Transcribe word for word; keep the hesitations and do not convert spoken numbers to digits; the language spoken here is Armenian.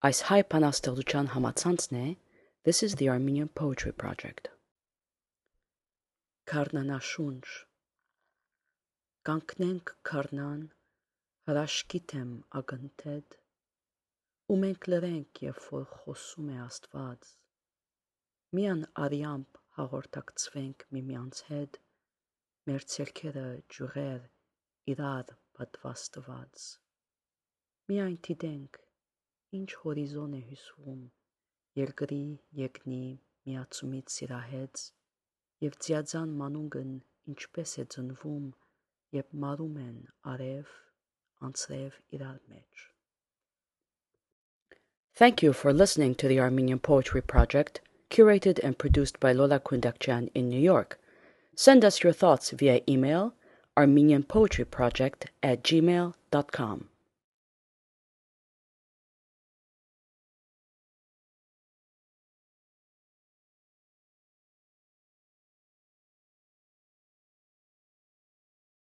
Այս հայ բանաստեղծության համացանցն է This is the Armenian Poetry Project. Քառնանաշունչ Կանգնենք քառնան, հրաշքի թեմ ակնթեթ, ու մենք լրենք, երբ որ խոսում է Աստված, միան արյամբ հաղորդակցվենք միմյանց հետ, մեր ցերքերը ջուրեր իրար պատվաստված, միայն դիտենք, ինչ հորիզոն է հյուսվում, երկրի երկնի միացումից սիրահեց, և ձիաձան մանուկն ինչպես է ծնվում, երբ մարում են արև, անձրև իրար մեջ. Thank you for listening to the Armenian Poetry Project, curated and produced by Lola Kundakjian in New York. Send us your thoughts via email armenianpoetryproject at gmail dot com.